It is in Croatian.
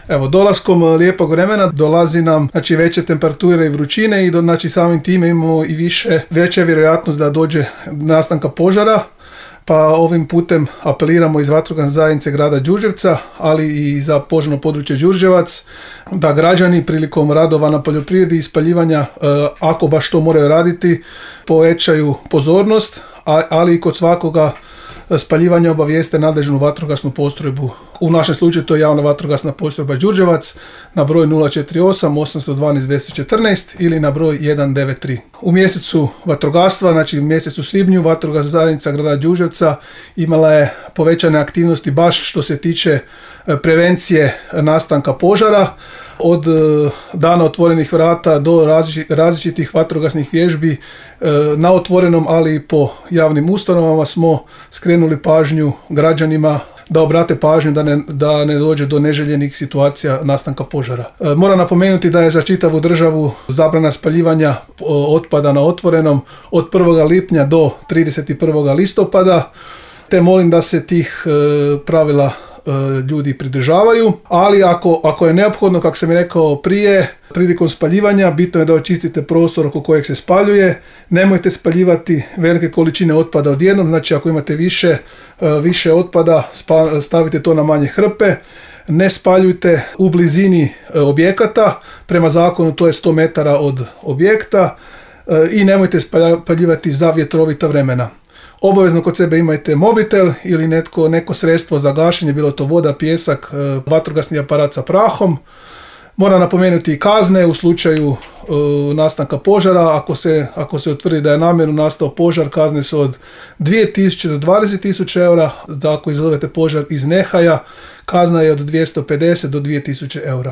Evo, dolaskom lijepog vremena dolazi nam veće temperature i vrućine i samim time imamo i veća vjerojatnost da dođe nastanka požara. Pa ovim putem apeliramo iz vatrogasne zajednice grada Đurđevca, ali i za požarno područje Đurđevac, da građani prilikom radova na poljoprivredi i spaljivanja, ako baš to moraju raditi, povećaju pozornost, ali i kod svakoga spaljivanja obavijeste nadležnu vatrogasnu postrojbu. U našem slučaju to je javna vatrogasna postrojba Đurđevac na broj 048 812 214 ili na broj 193. U mjesecu vatrogastva, znači u mjesecu svibnju, vatrogasna zajednica grada Đurđevca imala je povećane aktivnosti baš što se tiče prevencije nastanka požara. Od dana otvorenih vrata do različitih vatrogasnih vježbi na otvorenom, ali i po javnim ustanovama smo skrenuli pažnju građanima da obrate pažnju da ne dođe do neželjenih situacija nastanka požara. Moram napomenuti da je za čitavu državu zabrana spaljivanja otpada na otvorenom od 1. lipnja do 31. listopada, te molim da se tih pravila ljudi pridržavaju, ali ako je neophodno, kako sam i rekao prije, prilikom spaljivanja bitno je da očistite prostor oko kojeg se spaljuje. Nemojte spaljivati velike količine otpada odjednom, znači ako imate više otpada, stavite to na manje hrpe. Ne spaljujte u blizini objekata, prema zakonu to je 100 metara od objekta, i nemojte spaljivati za vjetrovita vremena. Obavezno kod sebe imajte mobitel ili neko sredstvo za gašenje, bilo to voda, pijesak, vatrogasni aparat sa prahom. Moram napomenuti i kazne u slučaju nastanka požara. Ako se utvrdi da je namjerno nastao požar, kazne su od 2.000 do 20.000 eura. Ako izazovete požar iz nehaja, kazna je od 250 do 2.000 eura.